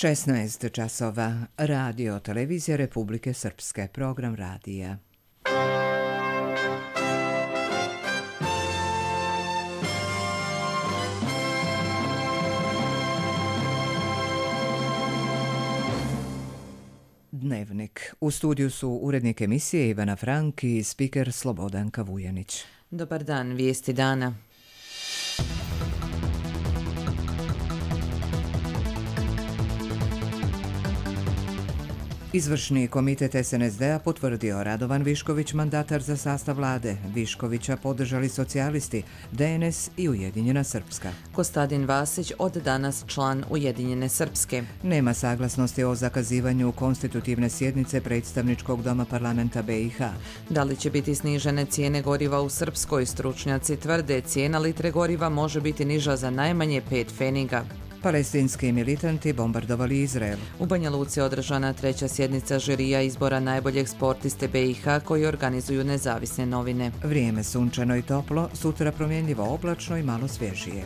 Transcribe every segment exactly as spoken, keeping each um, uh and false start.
šesnaest časova. Radio Televizija Republike Srpske. Program radija. Dnevnik. U studiju su urednik emisije Ivana Frank i spiker Slobodanka Vujanić. Dobar dan, vijesti dana. Izvršni komitet es en es de a potvrdio Radovan Višković mandatar za sastav vlade. Viškovića podržali socijalisti, de en es i Ujedinjena Srpska. Kostadin Vasić od danas član Ujedinjene Srpske. Nema saglasnosti o zakazivanju konstitutivne sjednice predstavničkog doma parlamenta be i ha. Da li će biti snižene cijene goriva u Srpskoj? Stručnjaci tvrde cijena litre goriva može biti niža za najmanje pet pfeniga. Palestinski militanti bombardovali Izrael. U Banja Luci održana treća sjednica žirija izbora najboljeg sportiste be i ha koji organizuju nezavisne novine. Vrijeme sunčano i toplo, sutra promjenljivo oblačno i malo svježije.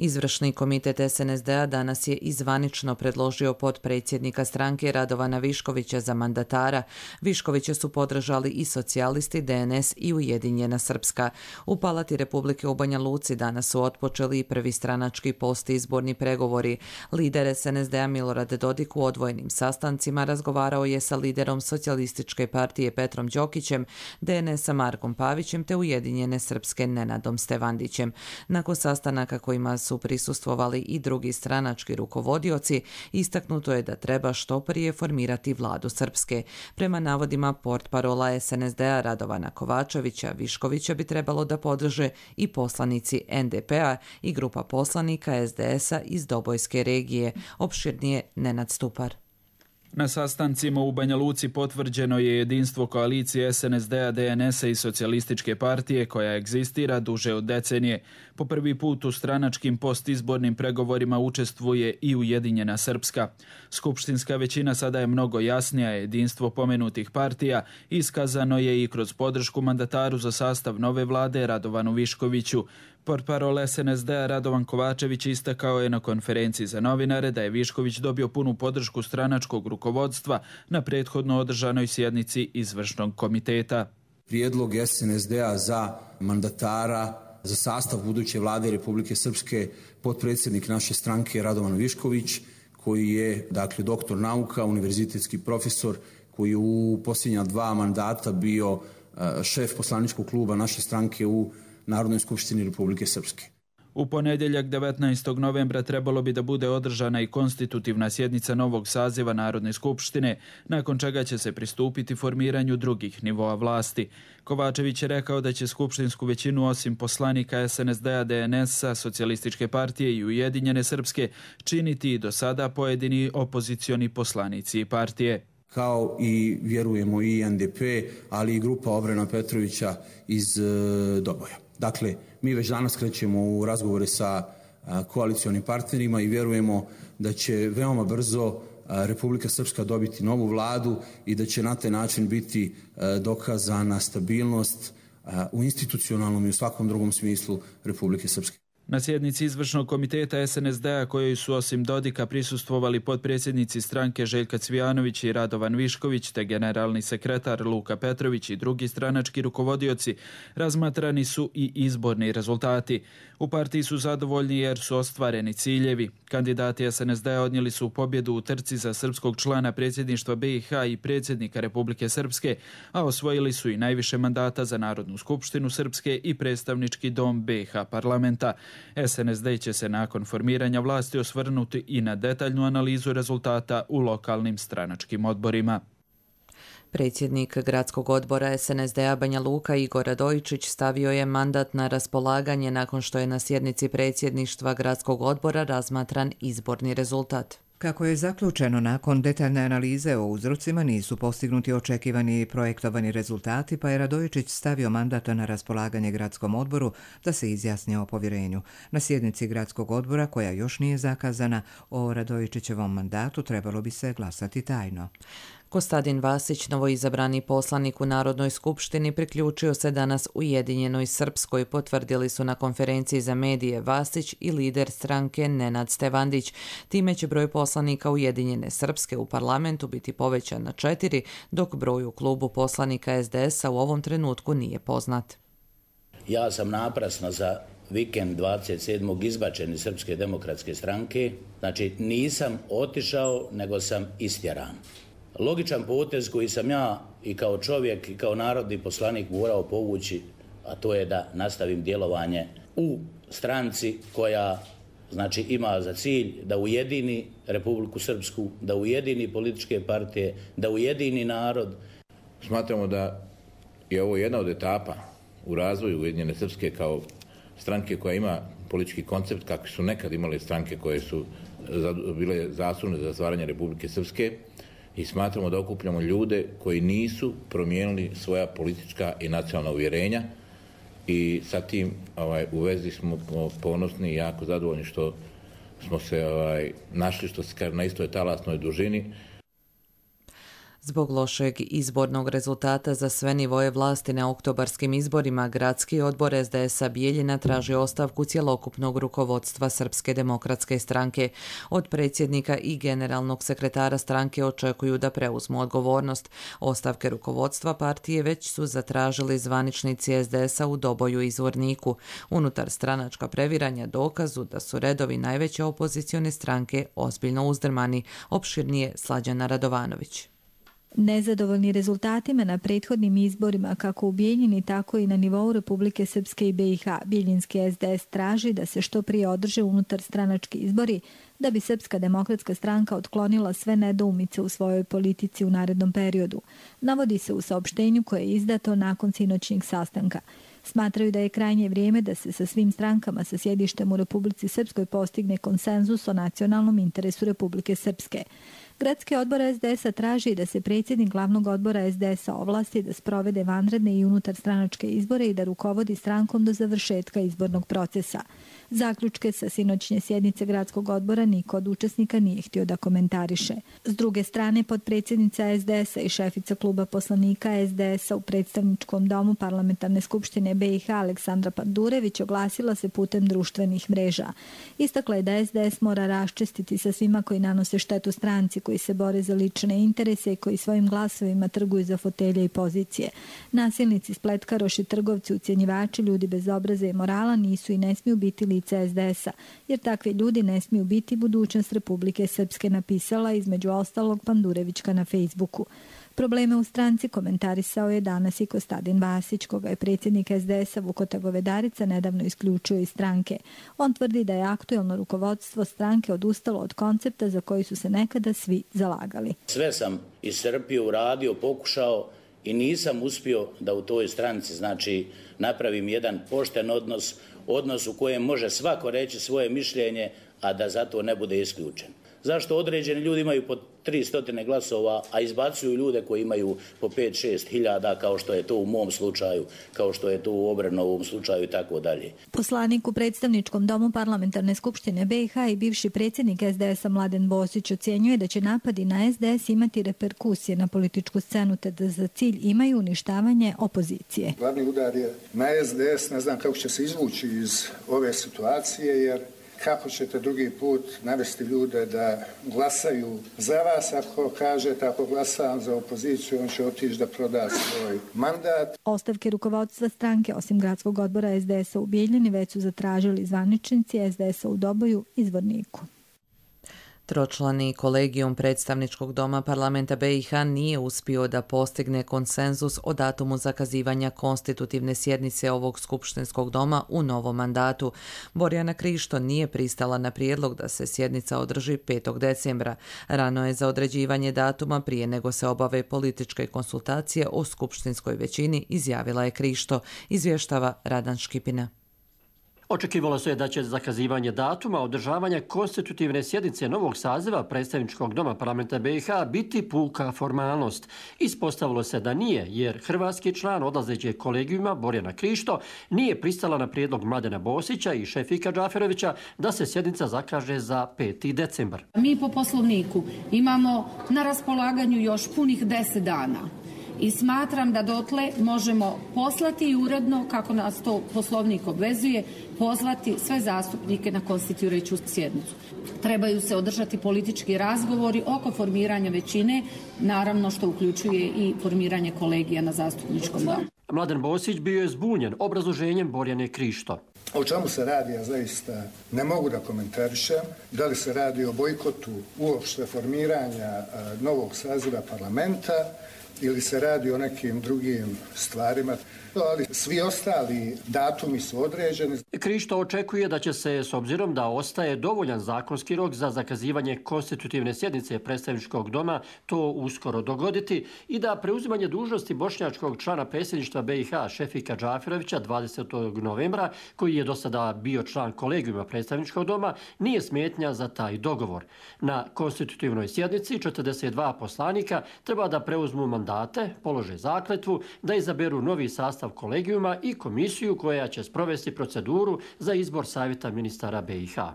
Izvršni komitet es en es de a danas je izvanično predložio potpredsjednika stranke Radovana Viškovića za mandatara. Viškovića su podržali i socijalisti, de en es i Ujedinjena Srpska. U Palati Republike u Banja Luci danas su otpočeli i prvi stranački postizborni pregovori. Lider es en es de a Milorad Dodik u odvojenim sastancima razgovarao je sa liderom Socijalističke partije Petrom Đokićem, de en es-a Markom Pavićem te Ujedinjene Srpske Nenadom Stevandićem. Nakon sastanaka kojima su su prisustvovali i drugi stranački rukovodioci, istaknuto je da treba što prije formirati vladu Srpske. Prema navodima portparola es en es de a Radovana Kovačevića, Viškovića bi trebalo da podrže i poslanici en de pe a i grupa poslanika es de es-a iz Dobojske regije. Opširnije Nenad Stupar. Na sastancima u Banja Luci potvrđeno je jedinstvo koalicije es en es de a, de en es-a i Socijalističke partije koja egzistira duže od decenije. Po prvi put u stranačkim postizbornim pregovorima učestvuje i Ujedinjena Srpska. Skupštinska većina sada je mnogo jasnija, jedinstvo pomenutih partija iskazano je i kroz podršku mandataru za sastav nove vlade Radovanu Viškoviću. Portparol es en es de a Radovan Kovačević istakao je na konferenciji za novinare da je Višković dobio punu podršku stranačkog rukovodstva na prethodno održanoj sjednici izvršnog komiteta. Prijedlog es en es de a za mandatara za sastav buduće vlade Republike Srpske potpredsjednik naše stranke Radovan Višković, koji je dakle doktor nauka, univerzitetski profesor, koji je u posljednja dva mandata bio šef poslaničkog kluba naše stranke u Narodnoj skupštini Republike Srpske. U ponedjeljak devetnaestog novembra trebalo bi da bude održana i konstitutivna sjednica novog saziva Narodne skupštine, nakon čega će se pristupiti formiranju drugih nivoa vlasti. Kovačević je rekao da će skupštinsku većinu osim poslanika es en es de a, de en es-a, Socijalističke partije i Ujedinjene Srpske činiti i do sada pojedini opozicioni poslanici i partije. Kao i vjerujemo i en de pe, ali i grupa Obrena Petrovića iz e, Doboja. Dakle, mi već danas krećemo u razgovore sa a, koalicionim partnerima i vjerujemo da će veoma brzo a, Republika Srpska dobiti novu vladu i da će na taj način biti a, dokazana stabilnost a, u institucionalnom i u svakom drugom smislu Republike Srpske. Na sjednici izvršnog komiteta es en es de a kojoj su osim Dodika prisustvovali potpredsjednici stranke Željka Cvijanović i Radovan Višković te generalni sekretar Luka Petrović i drugi stranački rukovodioci, razmatrani su i izborni rezultati. U partiji su zadovoljni jer su ostvareni ciljevi. Kandidati es en es de a odnijeli su pobjedu u trci za srpskog člana predsjedništva be i ha i predsjednika Republike Srpske, a osvojili su i najviše mandata za Narodnu skupštinu Srpske i predstavnički dom be i ha parlamenta. es en es de će se nakon formiranja vlasti osvrnuti i na detaljnu analizu rezultata u lokalnim stranačkim odborima. Predsjednik gradskog odbora es en es de a Banja Luka Igor Radojičić stavio je mandat na raspolaganje nakon što je na sjednici predsjedništva gradskog odbora razmatran izborni rezultat. Kako je zaključeno, nakon detaljne analize o uzrocima nisu postignuti očekivani projektovani rezultati, pa je Radojičić stavio mandat na raspolaganje gradskom odboru da se izjasni o povjerenju. Na sjednici gradskog odbora, koja još nije zakazana, o Radojičićevom mandatu trebalo bi se glasati tajno. Kostadin Vasić, novoizabrani poslanik u Narodnoj skupštini, priključio se danas Ujedinjenoj Srpskoj, potvrdili su na konferenciji za medije Vasić i lider stranke Nenad Stevandić. Time će broj poslanika Ujedinjene Srpske u parlamentu biti povećan na četiri, dok broj u klubu poslanika es de es a u ovom trenutku nije poznat. Ja sam naprasno za vikend dvadeset sedmog izbačen iz Srpske demokratske stranke, znači nisam otišao, nego sam istjeran. Logičan potez koji sam ja i kao čovjek i kao narodni poslanik morao povući, a to je da nastavim djelovanje u stranci koja znači ima za cilj da ujedini Republiku Srpsku, da ujedini političke partije, da ujedini narod. Smatramo da je ovo jedna od etapa u razvoju Ujedinjene Srpske kao stranke koja ima politički koncept kakvi su nekad imale stranke koje su bile zaslužne za stvaranje Republike Srpske, i smatramo da okupljamo ljude koji nisu promijenili svoja politička i nacionalna uvjerenja, i sa tim ovaj, u vezi smo ponosni i jako zadovoljni što smo se ovaj, našli, što se kaže, na istoj talasnoj dužini. Zbog lošeg izbornog rezultata za sve nivoje vlasti na oktobarskim izborima, Gradski odbor es de es a Bijeljina traži ostavku cjelokupnog rukovodstva Srpske demokratske stranke. Od predsjednika i generalnog sekretara stranke očekuju da preuzmu odgovornost. Ostavke rukovodstva partije već su zatražili zvaničnici es de es a u Doboju i Zvorniku. Unutar stranačka previranja dokazu da su redovi najveće opozicione stranke ozbiljno uzdrmani. Opširnije Slađana Radovanović. Nezadovoljni rezultatima na prethodnim izborima kako u Bijeljini, tako i na nivou Republike Srpske i be i ha, bijeljinski es de es traži da se što prije održe unutar stranački izbori da bi Srpska demokratska stranka otklonila sve nedoumice u svojoj politici u narednom periodu. Navodi se u saopštenju koje je izdato nakon sinoćnjeg sastanka. Smatraju da je krajnje vrijeme da se sa svim strankama sa sjedištem u Republici Srpskoj postigne konsenzus o nacionalnom interesu Republike Srpske. Gradski odbor es de es a traži da se predsjednik glavnog odbora es de es a ovlasti da sprovede vanredne i unutar stranačke izbore i da rukovodi strankom do završetka izbornog procesa. Zaključke sa sinoćnje sjednice Gradskog odbora niko od učesnika nije htio da komentariše. S druge strane, potpredsjednica es de es a i šefica kluba poslanika es de es a u predstavničkom domu Parlamentarne skupštine be i ha Aleksandra Pandurević oglasila se putem društvenih mreža. Istakla je da es de es mora raščistiti sa svima koji nanose štetu stranci, koji se bore za lične interese i koji svojim glasovima trguju za fotelje i pozicije. Nasilnici, spletkaroši, trgovci, ucjenjivači, ljudi bez obraza i morala nisu i ne smiju biti lice es de es a, jer takvi ljudi ne smiju biti budućnost Republike Srpske, napisala između ostalog Pandurevićka na Facebooku. Probleme u stranci komentarisao je danas i Kostadin Vasić, koga je predsjednik es de es a Vukota Govedarica nedavno isključio iz stranke. On tvrdi da je aktuelno rukovodstvo stranke odustalo od koncepta za koji su se nekada svi zalagali. Sve sam iscrpio, uradio, pokušao i nisam uspio da u toj stranci znači napravim jedan pošten odnos, odnos u kojem može svako reći svoje mišljenje, a da zato ne bude isključen. Zašto određeni ljudi imaju po tri stotine glasova, a izbacuju ljude koji imaju po pet šest hiljada, kao što je to u mom slučaju, kao što je to u Obrenovom slučaju i tako dalje. Poslanik u predstavničkom domu Parlamentarne skupštine be i ha i bivši predsjednik es de es a Mladen Bosić ocjenjuje da će napadi na es de es imati reperkusije na političku scenu, te da za cilj imaju uništavanje opozicije. Glavni udar je na es de es, ne znam kako će se izvući iz ove situacije, jer kako ćete drugi put navesti ljude da glasaju za vas? Ako kažete, ako glasam za opoziciju, on će otići da proda svoj mandat. Ostavke rukovodstva stranke, osim Gradskog odbora es de es a u Bijeljini, već su zatražili zvaničnici es de es a u Doboju i Zvorniku. Tročlani kolegijum predstavničkog doma parlamenta be i ha nije uspio da postigne konsenzus o datumu zakazivanja konstitutivne sjednice ovog skupštinskog doma u novom mandatu. Borjana Krišto nije pristala na prijedlog da se sjednica održi petog decembra. Rano je za određivanje datuma prije nego se obave političke konsultacije o skupštinskoj većini, izjavila je Krišto, izvještava Radan Škipina. Očekivalo se da će zakazivanje datuma održavanja konstitutivne sjednice novog saziva predstavničkog doma parlamenta B i H biti puka formalnost. Ispostavilo se da nije, jer hrvatski član odlazećeg kolegijuma Borjana Krišto nije pristala na prijedlog Mladena Bosića i Šefika Džaferovića da se sjednica zakaže za peti decembar. Mi po poslovniku imamo na raspolaganju još punih deset dana. I smatram da dotle možemo poslati i uredno, kako nas to poslovnik obvezuje, pozvati sve zastupnike na konstituirajuću sjednicu. Trebaju se održati politički razgovori oko formiranja većine, naravno što uključuje i formiranje kolegija na zastupničkom domu. Mladen Bosić bio je zbunjen obrazloženjem Borjane Krišto. O čemu se radi, ja zaista ne mogu da komentarišem. Da li se radi o bojkotu uopšte formiranja novog saziva parlamenta ili se radi o nekim drugim stvarima, ali svi ostali datumi su određeni. Krišto očekuje da će se, s obzirom da ostaje dovoljan zakonski rok za zakazivanje konstitutivne sjednice predstavničkog doma, to uskoro dogoditi i da preuzimanje dužnosti bošnjačkog člana predsjedništva B i H Šefika Džaferovića dvadesetog novembra, koji je do sada bio član kolegijuma predstavničkog doma, nije smetnja za taj dogovor. Na konstitutivnoj sjednici četrdeset dva poslanika treba da preuzmu mandate, polože zakletvu, da izaberu novi sastav kolegijuma i komisiju koja će sprovesti proceduru za izbor savjeta ministara B i H.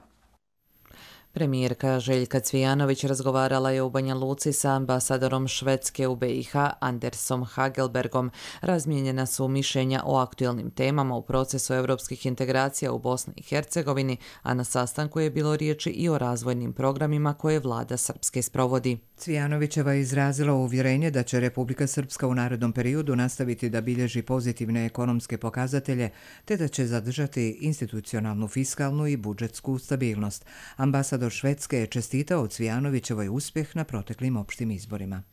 Premijerka Željka Cvijanović razgovarala je u Banja Luci sa ambasadorom Švedske u B i H Andersom Hagelbergom. Razmijenjena su mišljenja o aktualnim temama u procesu europskih integracija u Bosni i Hercegovini, a na sastanku je bilo riječi i o razvojnim programima koje vlada Srpske sprovodi. Cvijanovićeva je izrazila uvjerenje da će Republika Srpska u narednom periodu nastaviti da bilježi pozitivne ekonomske pokazatelje, te da će zadržati institucionalnu, fiskalnu i budžetsku stabilnost. Ambasador Švedske je čestitao Cvijanovićevoj uspjeh na proteklim opštim izborima.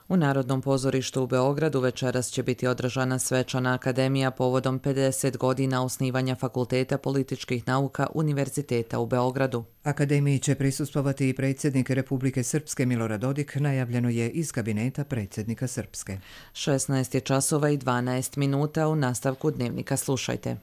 U Narodnom pozorištu u Beogradu večeras će biti održana svečana akademija povodom pedeset godina osnivanja Fakulteta političkih nauka Univerziteta u Beogradu. Akademiji će prisustvovati i predsjednik Republike Srpske Milorad Dodik, najavljeno je iz kabineta predsjednika Srpske. šesnaest je časova i dvanaest minuta, u nastavku dnevnika slušajte.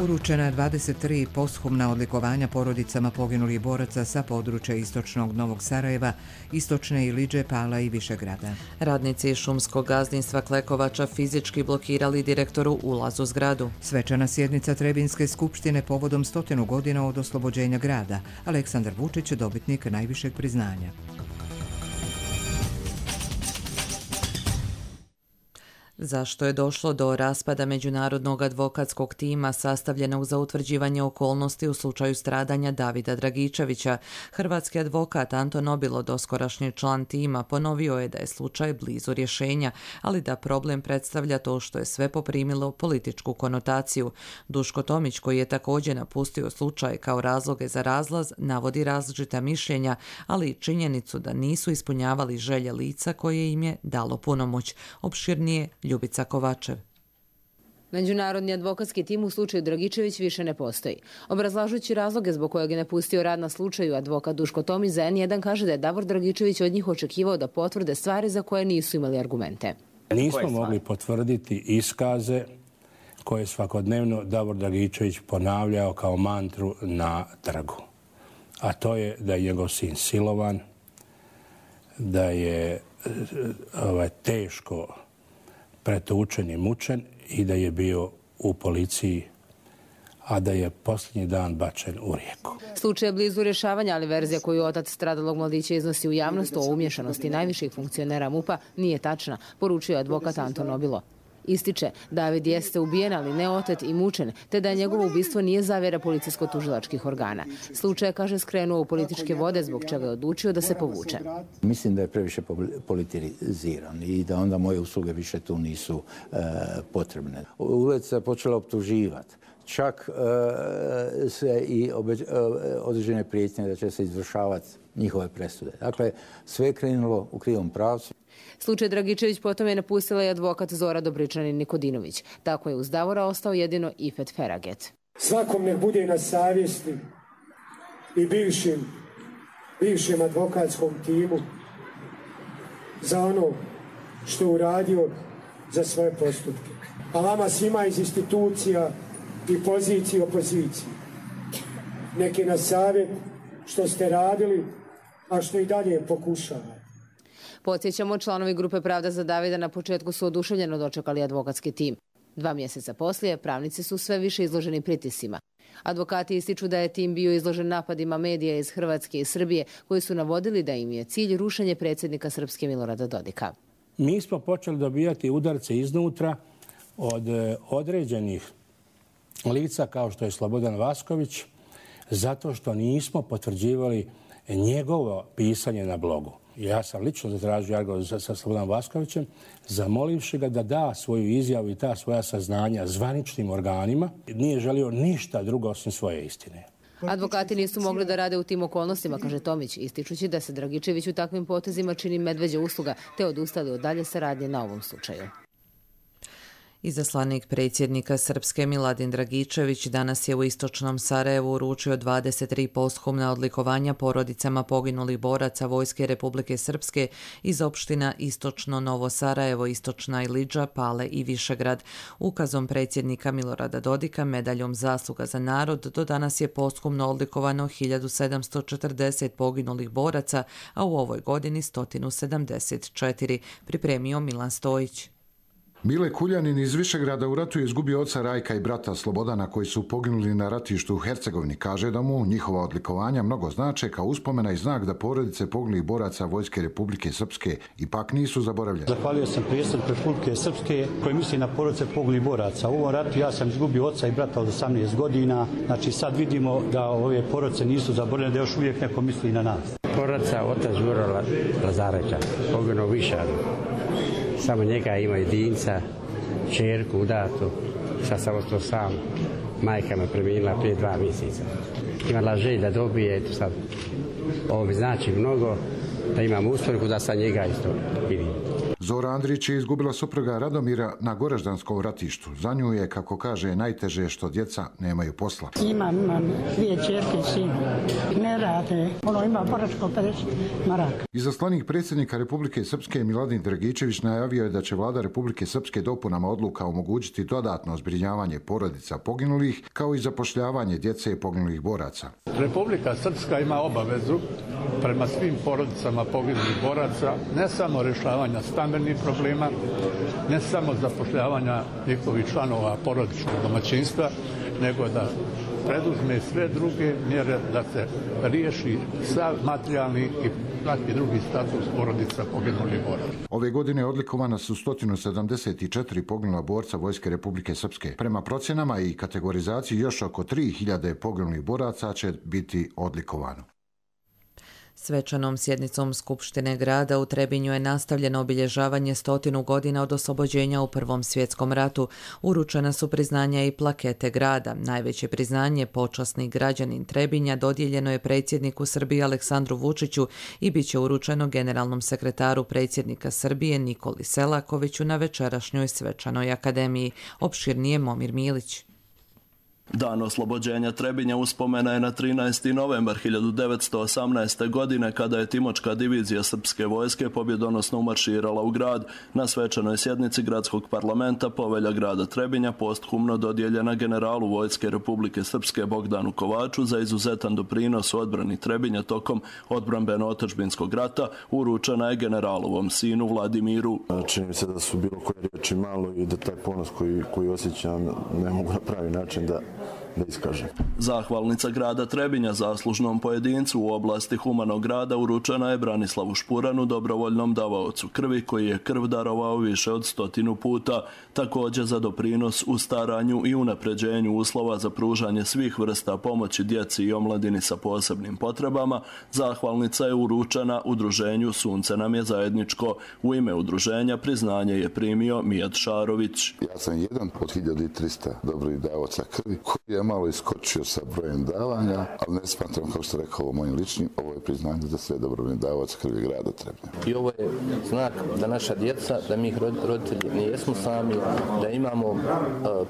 Uručena dvadeset tri posthumna odlikovanja porodicama poginulih boraca sa područja istočnog Novog Sarajeva, istočne Iliđe, Pala i Višegrada. Radnici šumskog gazdinstva Klekovača fizički blokirali direktoru ulaz u zgradu. Svečana sjednica Trebinske skupštine povodom stotinu godina od oslobođenja grada. Aleksandar Vučić, dobitnik najvišeg priznanja. Zašto je došlo do raspada međunarodnog advokatskog tima sastavljenog za utvrđivanje okolnosti u slučaju stradanja Davida Dragičevića? Hrvatski advokat Anton Obilo, doskorašnji član tima, ponovio je da je slučaj blizu rješenja, ali da problem predstavlja to što je sve poprimilo političku konotaciju. Duško Tomić, koji je također napustio slučaj kao razloge za razlaz, navodi različita mišljenja, ali i činjenicu da nisu ispunjavali želje lica koje im je dalo punomoć. Opširnije Ljubica Kovačev. Međunarodni advokatski tim u slučaju Dragičević više ne postoji. Obrazlažući razloge zbog kojeg je napustio rad na slučaju, advokat Duško Tomić za en jedan kaže da je Davor Dragičević od njih očekivao da potvrde stvari za koje nisu imali argumente. Nismo mogli potvrditi iskaze koje je svakodnevno Davor Dragičević ponavljao kao mantru na trgu. A to je da je njegov sin silovan, da je ovaj, teško pretučen i mučen i da je bio u policiji, a da je posljednji dan bačen u rijeku. Slučaj je blizu rješavanja, ali verzija koju otac stradalog mladića iznosi u javnost o umješanosti najviših funkcionera MUP-a nije tačna, poručio advokat Anton Obilo. Ističe, David jeste ubijen, ali ne otet i mučen, te da njegovo ubistvo nije zavjera policijsko-tužilačkih organa. Slučaj je, kaže, skrenuo u političke vode, zbog čega je odlučio da se povuče. Mislim da je previše politiziran i da onda moje usluge više tu nisu e, potrebne. Ulica je počela optuživati. Čak e, se i obeđ, e, određene prijetnje da će se izvršavati njihove presude. Dakle, sve je krenulo u krivom pravcu. Slučaj Dragičević potom je napustila i advokat Zora Dobričanin Nikodinović. Tako je uz Davora ostao jedino Ifet Feraget. Svakom nek bude na savjesti i bivšim, bivšem advokatskom timu za ono što je uradio za svoje postupke. A vama svima iz institucija i pozicije i opozicije. Neki na savjet što ste radili, a što i dalje pokušavate. Podsjećamo, članovi grupe Pravda za Davida na početku su oduševljeno dočekali advokatski tim. Dva mjeseca poslije pravnici su sve više izloženi pritiscima. Advokati ističu da je tim bio izložen napadima medija iz Hrvatske i Srbije koji su navodili da im je cilj rušenje predsjednika Srpske Milorada Dodika. Mi smo počeli dobijati udarce iznutra od određenih lica kao što je Slobodan Vasković zato što nismo potvrđivali njegovo pisanje na blogu. Ja sam lično zatražio razgovor sa Slobodanom Vaskovićem, zamolivši ga da da svoju izjavu i ta svoja saznanja zvaničnim organima. Nije želio ništa drugo osim svoje istine. Advokati nisu mogli da rade u tim okolnostima, kaže Tomić, ističući da se Dragičević u takvim potezima čini medveđa usluga, te odustali od dalje saradnje na ovom slučaju. Izaslanik predsjednika Srpske Miladin Dragičević danas je u istočnom Sarajevu uručio dvadeset tri posthumna odlikovanja porodicama poginulih boraca Vojske Republike Srpske iz opština Istočno Novo Sarajevo, Istočna Ilidža, Pale i Višegrad. Ukazom predsjednika Milorada Dodika medaljom Zasluga za narod do danas je posthumno odlikovano hiljadu sedamsto četrdeset poginulih boraca, a u ovoj godini sto sedamdeset četiri, pripremio Milan Stojić. Mile Kuljanin iz Višegrada u ratu je izgubio oca Rajka i brata Slobodana koji su poginuli na ratištu u Hercegovini. Kaže da mu njihova odlikovanja mnogo znače kao uspomena i znak da porodice poginulih boraca Vojske Republike Srpske ipak nisu zaboravljene. Zahvalio sam predsjedniku Republike Srpske koji misli na porodice poginulih boraca. U ovom ratu ja sam izgubio oca i brata od osamnaest godina. Znači sad vidimo da ove porodice nisu zaboravljene, da još uvijek neko misli na nas. Porodica otac Đuro Lazarevića, poginuo u Višadu. Samo njega ima jedinca, čerku udatu, sad sam ostao sam, majka me preminula prije dva mjeseca. Imala želj da dobije, eto sad, ovo mi znači mnogo, da imam usporiku da sad njega isto vidim. Zora Andrić je izgubila supruga Radomira na Goraždanskom ratištu. Za nju je, kako kaže, najteže što djeca nemaju posla. Imam, imam dvije čerke i sin. Ne rade. Ono ima boračko pedeset maraka. Izaslanik predsjednika Republike Srpske Miladin Dragičević najavio je da će vlada Republike Srpske dopunama odluka omogućiti dodatno zbrinjavanje porodica poginulih, kao i zapošljavanje djece poginulih boraca. Republika Srpska ima obavezu prema svim porodicama poginulih boraca, ne samo rješavanja stambenih problema, ne samo zapošljavanja njihovih članova porodičnog domaćinstva, nego da preduzme sve druge mjere da se riješi sav materijalni i svaki drugi status porodica poginulih boraca. Ove godine odlikovana su sto sedamdeset četiri poginula borca Vojske Republike Srpske. Prema procjenama i kategorizaciji još oko tri hiljade poginulih boraca će biti odlikovano. Svečanom sjednicom Skupštine grada u Trebinju je nastavljeno obilježavanje stotinu godina od oslobođenja u Prvom svjetskom ratu. Uručena su priznanja i plakete grada. Najveće priznanje, počasni građanin Trebinja, dodijeljeno je predsjedniku Srbije Aleksandru Vučiću i bit će uručeno generalnom sekretaru predsjednika Srbije Nikoli Selakoviću na večerašnjoj svečanoj akademiji. Opširnije Momir Milić. Dan oslobođenja Trebinja uspomena je na trinaesti novembar hiljadu devetsto osamnaeste. godine kada je Timočka divizija srpske vojske pobjedonosno umarširala u grad. Na svečanoj sjednici gradskog parlamenta povelja grada Trebinja posthumno dodijeljena generalu Vojske Republike Srpske Bogdanu Kovaču za izuzetan doprinos u odbrani Trebinja tokom odbrambeno-otadžbinskog rata, uručena je generalovom sinu Vladimiru. Čini mi se da su bilo koje riječi malo i da taj ponos koji, koji osjećam ne mogu na pravi način da da iskažem. Zahvalnica grada Trebinja zaslužnom pojedincu u oblasti humanog rada uručena je Branislavu Špuranu, dobrovoljnom davaocu krvi koji je krv darovao više od stotinu puta, također za doprinos u staranju i unapređenju uslova za pružanje svih vrsta pomoći djeci i omladini sa posebnim potrebama. Zahvalnica je uručena udruženju Sunce nam je zajedničko. U ime udruženja priznanje je primio Mijat Šarović. Ja sam jedan od hiljadu trista dobrih davaoca krvi koji je malo iskočio sa brojem davanja, ali ne smatram, kao što rekao, ovo mojim ličnim, ovo je priznanje da sve dobrovoljni davac krvi grada treba. I ovo je znak da naša djeca, da mi roditelji ne jesmo sami, da imamo uh,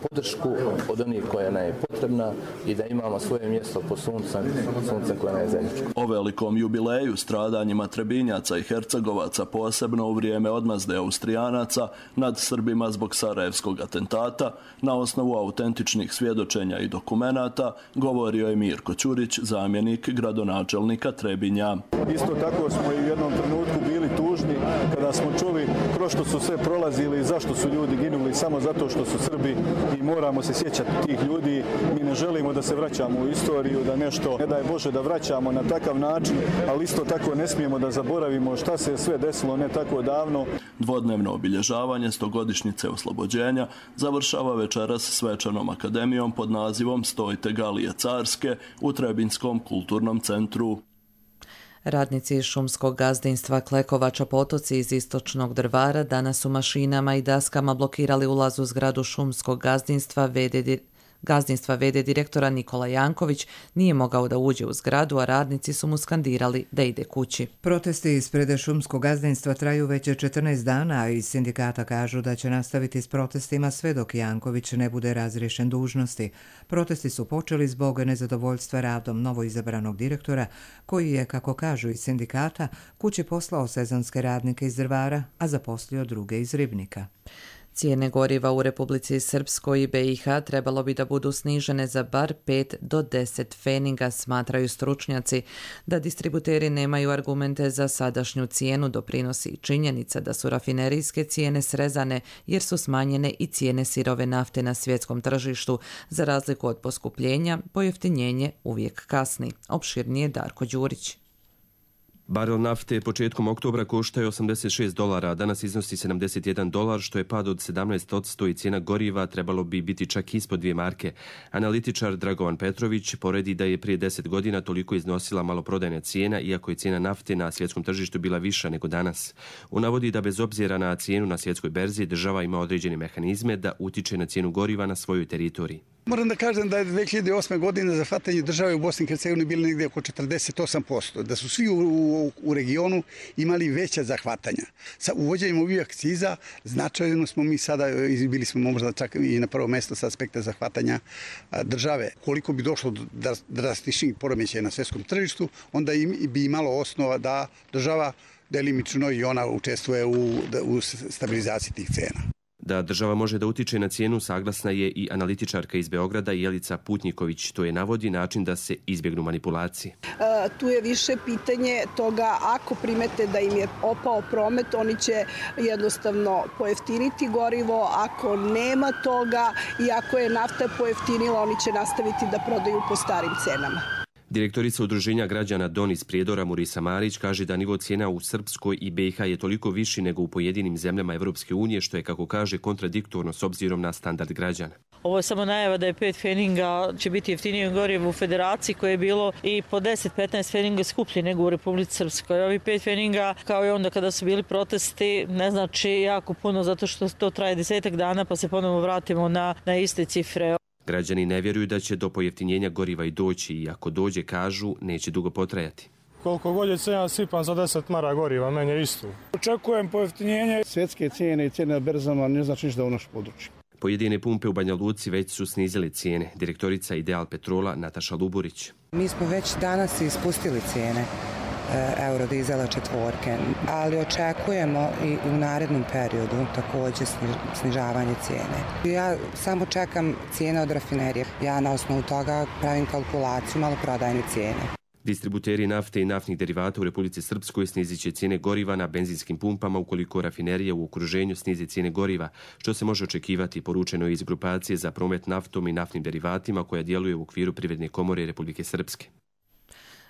podršku od onih koja nam je potrebna i da imamo svoje mjesto po sunca, sunca koja nam je zajedničko. O velikom jubileju, stradanjima Trebinjaca i Hercegovaca, posebno u vrijeme odmazde Austrijanaca nad Srbima zbog sarajevskog atentata, na osnovu autentičnih svjedočenja i dokumenata, govorio je Mirko Ćurić, zamjenik gradonačelnika Trebinja. Isto tako smo i u jednom trenutku bili tužni kada smo čuli kroz što su sve prolazili i zašto su ljudi ginuli samo zato što su Srbi i moramo se sjećati tih ljudi. Mi ne želimo da se vraćamo u istoriju, da nešto, ne daj Bože, da vraćamo na takav način, ali isto tako ne smijemo da zaboravimo šta se je sve desilo ne tako davno. Dvodnevno obilježavanje stogodišnjice oslobođenja završava večeras svečanom akademijom pod nazivom Stojte Galije carske u Trebinskom kulturnom centru. Radnici šumskog gazdinstva Klekovača Potoci iz istočnog Drvara danas su mašinama i daskama blokirali ulaz u zgradu šumskog gazdinstva V D Gazdinstva V D direktora Nikola Janković nije mogao da uđe u zgradu, a radnici su mu skandirali da ide kući. Protesti ispred šumskog gazdinstva traju već četrnaest dana, a iz sindikata kažu da će nastaviti s protestima sve dok Janković ne bude razriješen dužnosti. Protesti su počeli zbog nezadovoljstva radom novoizabranog direktora, koji je, kako kažu iz sindikata, kući poslao sezonske radnike iz Drvara, a zaposlio druge iz Ribnika. Cijene goriva u Republici Srpskoj i B i H trebalo bi da budu snižene za bar pet do deset feninga, smatraju stručnjaci. Da distributeri nemaju argumente za sadašnju cijenu doprinosi i činjenica da su rafinerijske cijene srezane jer su smanjene i cijene sirove nafte na svjetskom tržištu. Za razliku od poskupljenja, pojeftinjenje uvijek kasni. Opširnije Darko Đurić. Barel nafte početkom oktobra koštao je osamdeset šest dolara, a danas iznosi sedamdeset jedan dolar, što je pad od sedamnaest posto i cijena goriva trebalo bi biti čak ispod dvije marke. Analitičar Dragovan Petrović poredi da je prije deset godina toliko iznosila maloprodajna cijena, iako je cijena nafte na svjetskom tržištu bila viša nego danas. On navodi da bez obzira na cijenu na svjetskoj berzi, država ima određene mehanizme da utiče na cijenu goriva na svojoj teritoriji. Moram da kažem da je dve hiljade osme. godine zahvatanje države u Bosni i Hercegovini bilo negdje oko četrdeset osam posto, da su svi u, u, u regionu imali veća zahvatanja. Sa uvođenjem ovih akciza značajno smo mi sada, bili smo možda čak i na prvo mjesto sa aspekta zahvatanja države. Koliko bi došlo do drastičnih poremećaja na svjetskom tržištu, onda bi imalo osnova da država delimično i ona učestvuje u, u stabilizaciji tih cena. Da država može da utiče na cijenu saglasna je i analitičarka iz Beograda Jelica Putnjiković. To je navodi način da se izbjegnu manipulacije. E, tu je više pitanje toga ako primete da im je opao promet, oni će jednostavno pojeftiniti gorivo. Ako nema toga i ako je nafta pojeftinila, oni će nastaviti da prodaju po starim cenama. Direktorica Udruženja građana Don iz Prijedora Murisa Marić kaže da nivo cijena u Srpskoj i B i H je toliko viši nego u pojedinim zemljama Evropske unije, što je, kako kaže, kontradiktorno s obzirom na standard građana. Ovo je samo najava da je pet feninga će biti jeftinije gorivo u Federaciji, koje je bilo i po deset do petnaest feninga skuplje nego u Republici Srpskoj. Ovi pet feninga, kao i onda kada su bili protesti, ne znači jako puno zato što to traje desetak dana pa se ponovo vratimo na, na iste cifre. Građani ne vjeruju da će do pojeftinjenja goriva i doći i ako dođe, kažu, neće dugo potrajati. Koliko god je cijena sipam za deset mara goriva, meni je isto. Očekujem pojeftinjenje. Svjetske cijene i cijene na berzama ne znači ništa u naš području. Pojedine pumpe u Banja Luci već su snizile cijene. Direktorica Ideal Petrola Nataša Luburić. Mi smo već danas ispustili cijene eurodizela četvorke, ali očekujemo i u narednom periodu također snižavanje cijene. Ja samo čekam cijene od rafinerije. Ja na osnovu toga pravim kalkulaciju maloprodajne cijene. Distributeri nafte i naftnih derivata u Republici Srpskoj snizit će cijene goriva na benzinskim pumpama ukoliko rafinerije u okruženju snize cijene goriva, što se može očekivati, poručeno iz grupacije za promet naftom i naftnim derivatima koja djeluje u okviru Privredne komore Republike Srpske.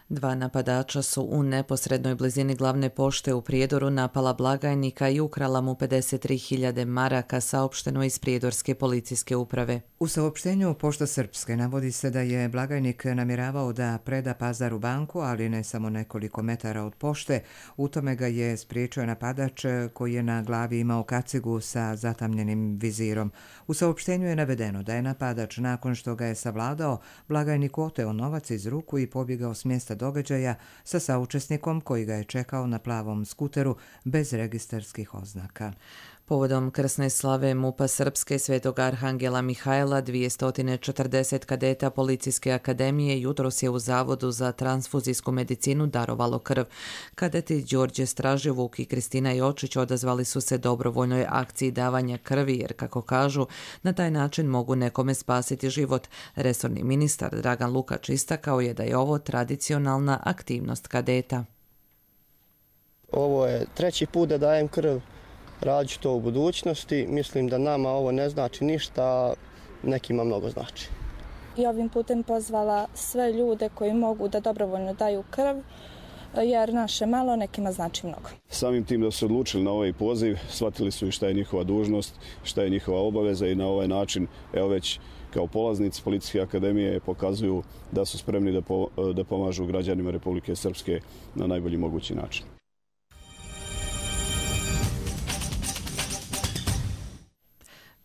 Dva napadača su u neposrednoj blizini glavne pošte u Prijedoru napala blagajnika i ukrala mu pedeset tri hiljade maraka, saopšteno iz prijedorske policijske uprave. U saopštenju Pošta Srpske navodi se da je blagajnik namjeravao da preda pazar u banku, ali ne samo nekoliko metara od pošte. U tome ga je spriječio napadač koji je na glavi imao kacigu sa zatamljenim vizirom. U saopštenju je navedeno da je napadač, nakon što ga je savladao, blagajniku oteo novac iz ruku i pobjegao s mjesta događaja sa saučesnikom koji ga je čekao na plavom skuteru bez registarskih oznaka. Povodom krsne slave MUP-a Srpske Svetog Arhangela Mihajla, dvjesto četrdeset kadeta Policijske akademije jutros je u Zavodu za transfuzijsku medicinu darovalo krv. Kadeti Đorđe Straževuk i Kristina Jočić odazvali su se dobrovoljnoj akciji davanja krvi jer, kako kažu, na taj način mogu nekome spasiti život. Resorni ministar Dragan Lukač istakao je da je ovo tradicionalna aktivnost kadeta. Ovo je treći put da dajem krv. Radit ću to u budućnosti. Mislim da nama ovo ne znači ništa, nekima mnogo znači. I ovim putem pozvala sve ljude koji mogu da dobrovoljno daju krv, jer naše malo nekima znači mnogo. Samim tim da su se odlučili na ovaj poziv, shvatili su i šta je njihova dužnost, šta je njihova obaveza i na ovaj način, evo već kao polaznici Policijske akademije pokazuju da su spremni da, po, da pomažu građanima Republike Srpske na najbolji mogući način.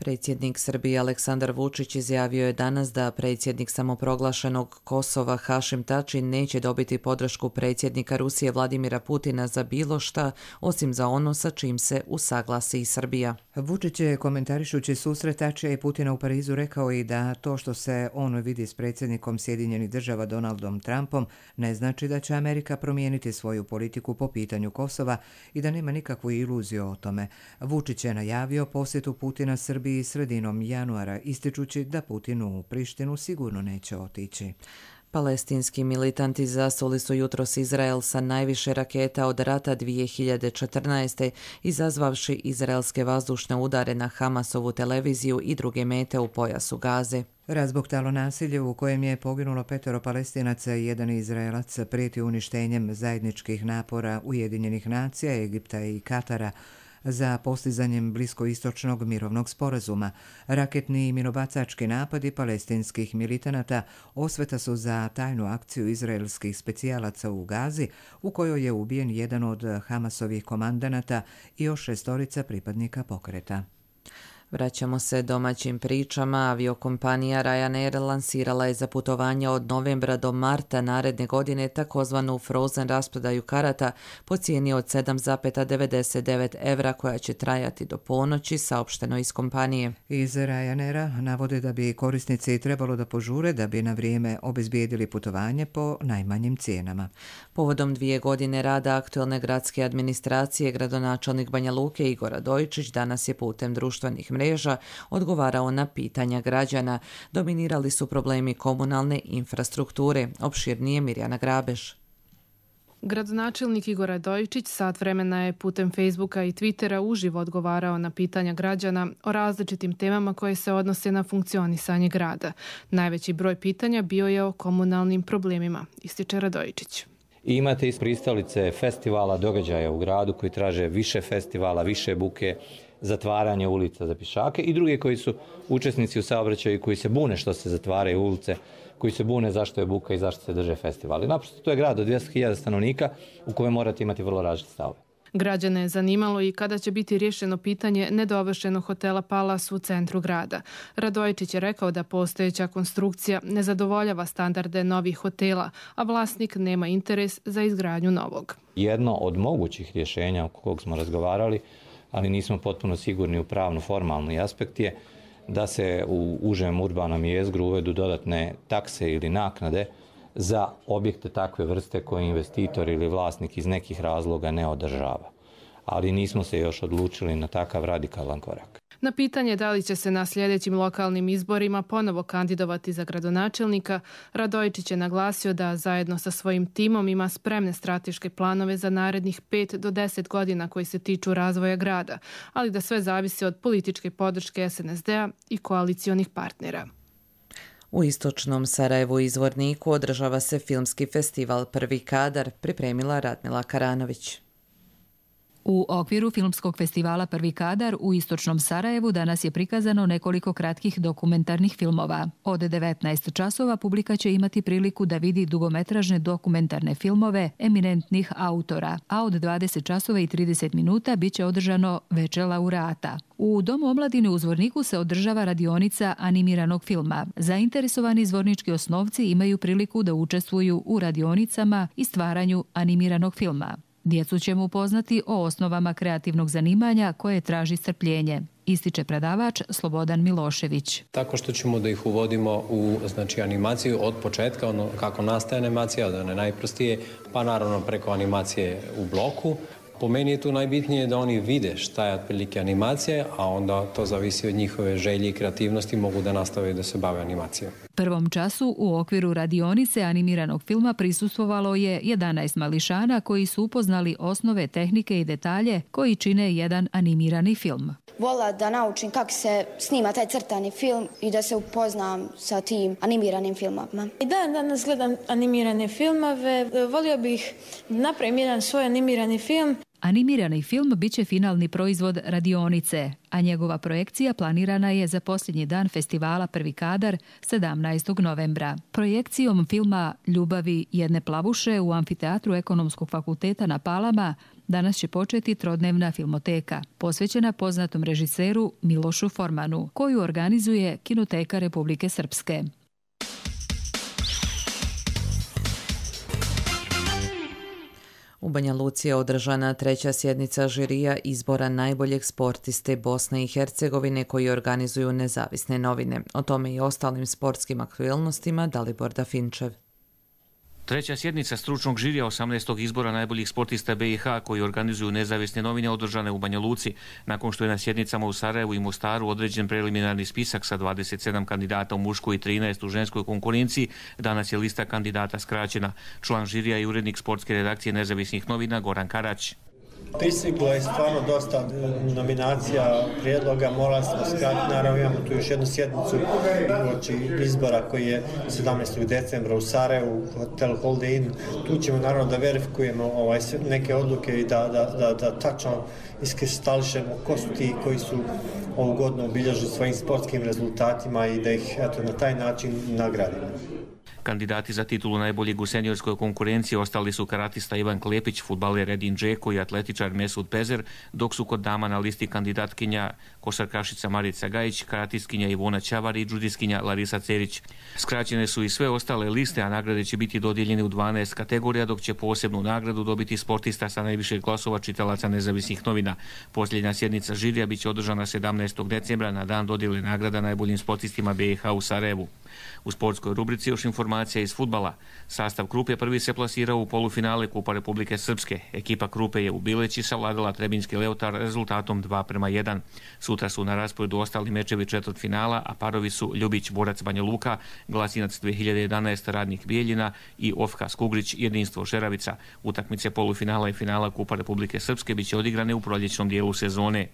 Predsjednik Srbije Aleksandar Vučić izjavio je danas da predsjednik samoproglašenog Kosova Hašim Tači neće dobiti podršku predsjednika Rusije Vladimira Putina za bilo šta, osim za ono sa čim se usaglasi i Srbija. Vučić je, komentarišući susret Tačija i Putina u Parizu, rekao i da to što se on vidi s predsjednikom Sjedinjenih država Donaldom Trumpom ne znači da će Amerika promijeniti svoju politiku po pitanju Kosova i da nema nikakvu iluziju o tome. Vučić je najavio posjetu Putina Srbiji sredinom januara, ističući da Putin u Prištinu sigurno neće otići. Palestinski militanti zasuli su jutros Izrael sa najviše raketa od rata dvije hiljade četrnaeste. izazvavši izraelske vazdušne udare na Hamasovu televiziju i druge mete u pojasu Gaze. Razbuktalo nasilje u kojem je poginulo petero Palestinaca i jedan Izraelac prijeti uništenjem zajedničkih napora Ujedinjenih nacija, Egipta i Katara za postizanjem bliskoistočnog mirovnog sporazuma. Raketni i minobacački napadi palestinskih militanata osveta su za tajnu akciju izraelskih specijalaca u Gazi, u kojoj je ubijen jedan od Hamasovih komandanata i još šestorica pripadnika pokreta. Vraćamo se domaćim pričama. Aviokompanija Ryanair lansirala je za putovanja od novembra do marta naredne godine takozvanu frozen rasprodaju karata po cijeni od sedam zarez devedeset devet evra koja će trajati do ponoći, saopšteno iz kompanije. Iz Ryanaira navode da bi korisnici trebalo da požure da bi na vrijeme obezbijedili putovanje po najmanjim cijenama. Povodom dvije godine rada aktuelne gradske administracije, gradonačelnik Banja Luke Igor Radojičić danas je putem društvenih mreža mreža odgovarao na pitanja građana. Dominirali su problemi komunalne infrastrukture. Opširnije Mirjana Grabeš. Gradonačelnik Igor Radojičić sat vremena je putem Facebooka i Twittera uživo odgovarao na pitanja građana o različitim temama koje se odnose na funkcionisanje grada. Najveći broj pitanja bio je o komunalnim problemima, ističe Radojičić. I imate iz pristalice festivala, događaja u gradu koji traže više festivala, više buke, zatvaranje ulica za pješake i drugi koji su učesnici u saobraćaju koji se bune što se zatvaraju ulice, koji se bune zašto je buka i zašto se drže festivali. Naprosto to je grad od dvjesto hiljada stanovnika u kojem morate imati vrlo različite stavove. Građane je zanimalo i kada će biti riješeno pitanje nedovršenog hotela Palas u centru grada. Radojičić je rekao da postojeća konstrukcija ne zadovoljava standarde novih hotela, a vlasnik nema interes za izgradnju novog. Jedno od mogućih rješenja o kog smo razgovarali, ali nismo potpuno sigurni u pravno formalni aspekt je da se u užem urbanom jezgru uvedu dodatne takse ili naknade za objekte takve vrste koje investitor ili vlasnik iz nekih razloga ne održava. Ali nismo se još odlučili na takav radikalan korak. Na pitanje da li će se na sljedećim lokalnim izborima ponovo kandidovati za gradonačelnika, Radojičić je naglasio da zajedno sa svojim timom ima spremne strateške planove za narednih pet do deset godina koji se tiču razvoja grada, ali da sve zavisi od političke podrške es en es de a i koalicionih partnera. U istočnom Sarajevu i Zvorniku održava se filmski festival Prvi kadar, pripremila Radmila Karanović. U okviru filmskog festivala Prvi kadar u istočnom Sarajevu danas je prikazano nekoliko kratkih dokumentarnih filmova. Od devetnaest časova publika će imati priliku da vidi dugometražne dokumentarne filmove eminentnih autora, a od dvadeset časova i trideset minuta bit će održano veče laureata. U Domu omladine u Zvorniku se održava radionica animiranog filma. Zainteresovani zvornički osnovci imaju priliku da učestvuju u radionicama i stvaranju animiranog filma. Djecu ćemo upoznati o osnovama kreativnog zanimanja koje traži strpljenje, ističe predavač Slobodan Milošević. Tako što ćemo da ih uvodimo u znači, animaciju od početka, ono kako nastaje animacija, od one najprostije, pa naravno preko animacije u bloku. Po meni je tu najbitnije da oni vide šta je otprilike animacija, a onda to zavisi od njihove želje i kreativnosti, mogu da nastave da se bave animacijom. Prvom času u okviru radionice animiranog filma prisustvovalo je jedanaest mališana koji su upoznali osnove, tehnike i detalje koji čine jedan animirani film. Vola da naučim kako se snima taj crtani film i da se upoznam sa tim animiranim filmovima. I dan danas gledam animirane filmove. Volio bih napravim jedan svoj animirani film. Animirani film bit će finalni proizvod radionice, a njegova projekcija planirana je za posljednji dan festivala Prvi kadar sedamnaestog novembra. Projekcijom filma Ljubavi jedne plavuše u amfiteatru Ekonomskog fakulteta na Palama danas će početi trodnevna filmoteka, posvećena poznatom režiseru Milošu Formanu, koju organizuje Kinoteka Republike Srpske. U Banja Luci je održana treća sjednica žirija izbora najboljeg sportiste Bosne i Hercegovine koji organizuju nezavisne novine. O tome i ostalim sportskim aktualnostima Dalibor Dafinčev. Treća sjednica stručnog žirija osamnaestog izbora najboljih sportista B i H koji organizuju nezavisne novine održane u Banja Luci. Nakon što je na sjednicama u Sarajevu i Mostaru određen preliminarni spisak sa dvadeset sedam kandidata u muškoj i trinaest u ženskoj konkurenciji, danas je lista kandidata skraćena. Član žirija i urednik sportske redakcije nezavisnih novina Goran Karać. Pristiglo je stvarno dosta nominacija, prijedloga, morali smo skratiti, naravno imamo tu još jednu sjednicu uoči izbora koji je sedamnaestog decembra u Sarajevu, Hotel Holiday Inn. Tu ćemo naravno da verifikujemo ovaj, neke odluke i da, da, da, da tačno iskristališemo ko su ti koji su ovu godinu obilježili svojim sportskim rezultatima i da ih eto, na taj način nagradimo. Kandidati za titulu najboljeg u seniorskoj konkurenciji ostali su karatista Ivan Klepić, fudbaler Edin Džeko i atletičar Mesud Pezer, dok su kod dama na listi kandidatkinja košarkašica Marica Gajić, karatistkinja Ivona Ćavar i džudiskinja Larisa Cerić. Skraćene su i sve ostale liste, a nagrade će biti dodijeljene u dvanaest kategorija, dok će posebnu nagradu dobiti sportista sa najviše glasova čitalaca nezavisnih novina. Posljednja sjednica žirija biće održana sedamnaestog decembra na dan dodjele nagrada najboljim sportistima B i H u Sarajevu. U sportskoj rubrici još informacija iz fudbala. Sastav Krupe prvi se plasirao u polufinale Kupa Republike Srpske. Ekipa Krupe je u Bileći savladala Trebinjski Leotar rezultatom dva prema jedan. Sutra su na rasporedu ostali mečevi četvrtfinala, a parovi su Ljubić Borac Banja Luka, Glasinac dve hiljade jedanaeste Radnik Bijeljina i Ofka Skugrić Jedinstvo Šeravica. Utakmice polufinala i finala Kupa Republike Srpske biće odigrane u proljećnom dijelu sezone.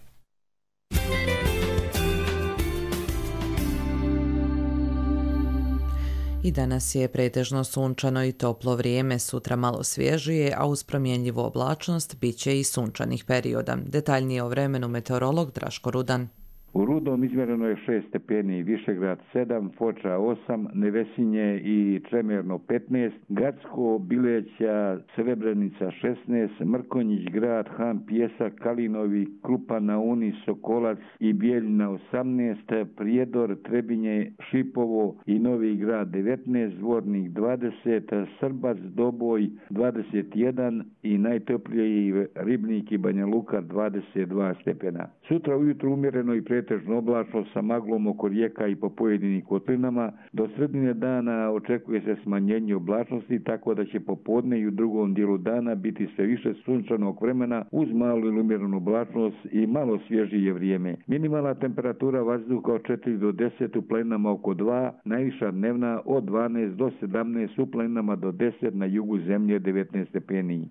I danas je pretežno sunčano i toplo vrijeme, sutra malo svježije, a uz promjenljivu oblačnost bit će i sunčanih perioda. Detaljnije o vremenu meteorolog Draško Rudan. U Rudom izmjereno je šest stepeni, Višegrad sedam, Foča osam, Nevesinje i Čemerno petnaest, Gacko, Bileća, Srebrenica šesnaest, Mrkonjić grad, Han, Pjesak, Kalinovi, Krupa na Uni, Sokolac i Bijeljina osamnaest, Prijedor, Trebinje, Šipovo i Novi grad devetnaest, Zvornik dvadeset, Srbac, Doboj dvadeset jedan i najtopliji Ribnik i Banja Luka dvadeset dva stepena. Sutra ujutro umjereno i pretežno oblačno sa maglom oko rijeka i po pojedinim kotlinama. Do sredine dana očekuje se smanjenje oblačnosti, tako da će popodne i u drugom dijelu dana biti sve više sunčanog vremena uz malu ili umjerenu oblačnost i malo svježije vrijeme. Minimalna temperatura vazduha od četiri do deset, u planinama oko dva, najviša dnevna od dvanaest do sedamnaest, u planinama do deset, na jugu zemlje devetnaest stepeni.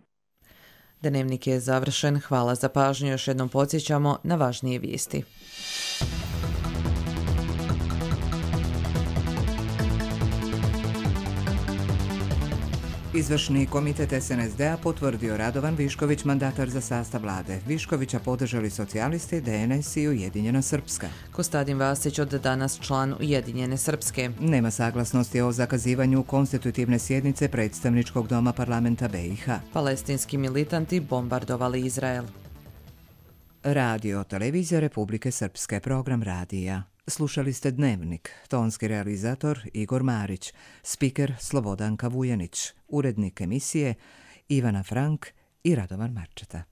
Dnevnik je završen. Hvala za pažnju. Još jednom podsjećamo na važnije vijesti. Izvršni komitet S N S D-a potvrdio Radovan Višković mandatar za sastav vlade. Viškovića podržali socijalisti, D N S i Ujedinjena Srpska. Kostadin Vasić od danas član Ujedinjene Srpske. Nema saglasnosti o zakazivanju konstitutivne sjednice predstavničkog doma parlamenta B i H. Palestinski militanti bombardovali Izrael. Radio, televizija Republike Srpske, program radija. Slušali ste Dnevnik, tonski realizator Igor Marić, spiker Slobodanka Vujanić, urednik emisije Ivana Frank i Radovan Marčeta.